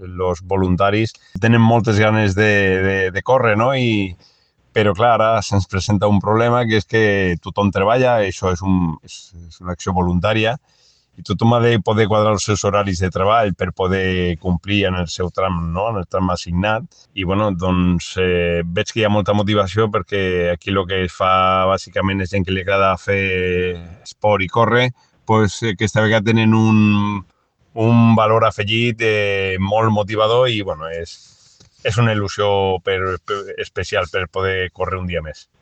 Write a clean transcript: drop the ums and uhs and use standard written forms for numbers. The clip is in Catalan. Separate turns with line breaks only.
els voluntaris tenen moltes ganes de córrer, no? Però clar, ara se'ns presenta un problema, que és que tothom treballa, això és una acció voluntària, i tothom ha de poder quadrar els seus horaris de treball per poder complir en el seu tram, no? En el tram assignat. I bueno, doncs veig que hi ha molta motivació, perquè aquí el que es fa bàsicament és gent que li agrada fer esport i córrer, doncs aquesta vegada tenen un valor afegit molt motivador i bueno, és una il·lusió especial per poder córrer un dia més.